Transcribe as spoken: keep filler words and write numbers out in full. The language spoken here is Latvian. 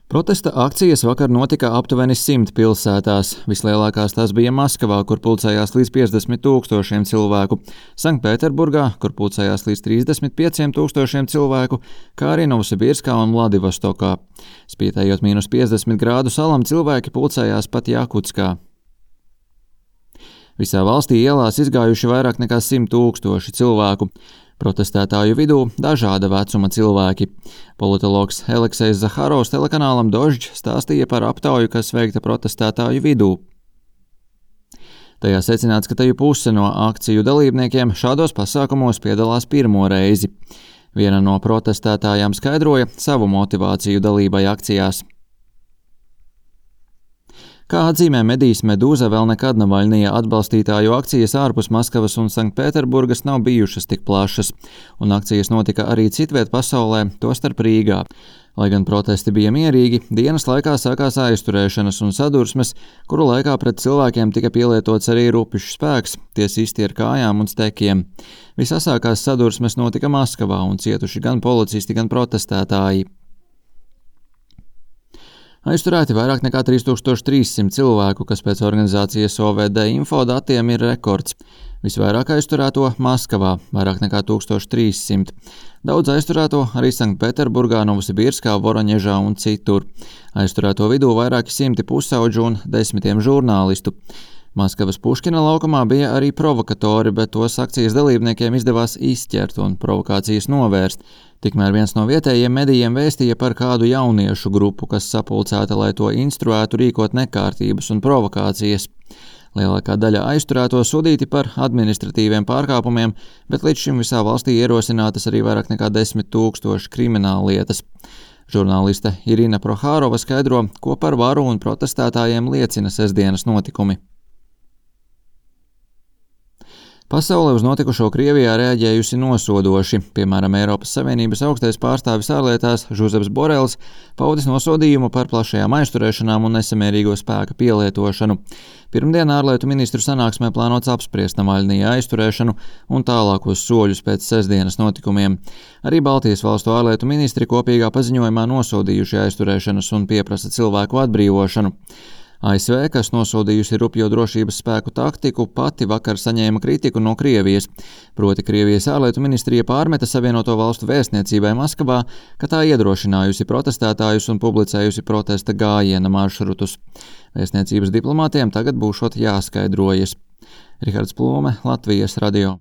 Protesta akcijas vakar notika aptuveni simt pilsētās. Vislielākās tās bija Maskavā, kur pulcējās līdz piecdesmit tūkstošiem cilvēku, Sanktpēterburgā, kur pulcējās līdz trīsdesmit pieciem tūkstošiem cilvēku, kā arī Novosibirskā un Vladivostokā. Spītējot mīnus piecdesmit grādu salam, cilvēki pulcējās pat Jakutskā. Visā valstī ielās izgājuši vairāk nekā simt tūkstoši cilvēku. Protestētāju vidū dažāda vecuma cilvēki. Politologs Aleksejs Zaharovs telekanālam Dožd stāstīja par aptauju, kas veikta protestētāju vidū. Tajā secināts, ka teju puse no akciju dalībniekiem šādos pasākumos piedalās pirmo reizi. Viena no protestētājām skaidroja savu motivāciju dalībai akcijās. Kā atzīmē medijs Medūza, vēl nekad Navaļnija atbalstītāju akcijas ārpus Maskavas un Sanktpēterburgas nav bijušas tik plašas, un akcijas notika arī citviet pasaulē, tostarp Rīgā. Lai gan protesti bija mierīgi, dienas laikā sākās aizturēšanas un sadursmes, kuru laikā pret cilvēkiem tika pielietots arī rupišs spēks, tie sisti ar kājām un stekiem. Visasākās sadursmes notika Maskavā un cietuši gan policisti, gan protestētāji. Aizturēti vairāk nekā trīs tūkstoši trīs simti cilvēku, kas pēc organizācijas O V D info datiem ir rekords. Visvairāk aizturēto Maskavā – vairāk nekā tūkstoš trīs simti. Daudz aizturēto arī Sanktpēterburgā, Novosibirskā, Voroņežā un citur. Aizturēto vidū vairāki simti pusauģu un desmitiem žurnālistu. Maskavas Puškina laukumā bija arī provokatori, bet tos akcijas dalībniekiem izdevās izķert un provokācijas novērst. Tikmēr viens no vietējiem medijiem vēstīja par kādu jauniešu grupu, kas sapulcēta, lai to instruētu rīkot nekārtības un provokācijas. Lielākā daļa aizturēto sodīti par administratīviem pārkāpumiem, bet līdz šim visā valstī ierosinātas arī vairāk nekā desmit tūkstoši krimināllietas. Žurnāliste Irina Prohārova skaidro, ko par varu un protestētājiem liecina sestdienas notikumi. Pasaule uz notikušo Krievijā reaģējusi nosodoši. Piemēram, Eiropas Savienības augstais pārstāvis ārlietās Žuzeps Borels paudis nosodījumu par plašajām aizturēšanām un nesamērīgo spēka pielietošanu. Pirmdien ārlietu ministru sanāksmē plānots apspriest Navaļnija aizturēšanu un tālākos soļus pēc sestdienas notikumiem. Arī Baltijas valstu ārlietu ministri kopīgā paziņojumā nosodījuši aizturēšanas un pieprasa cilvēku atbrīvošanu. A S V, kas nosodījusi rupjo drošības spēku taktiku, pati vakar saņēma kritiku no Krievijas. Proti Krievijas ārlietu ministrija pārmeta Savienoto valstu vēstniecībai Maskavā, ka tā iedrošinājusi protestētājus un publicējusi protesta gājiena maršrutus. Vēstniecības diplomātiem tagad būšot jāskaidrojas. Rihards Plūme, Latvijas radio.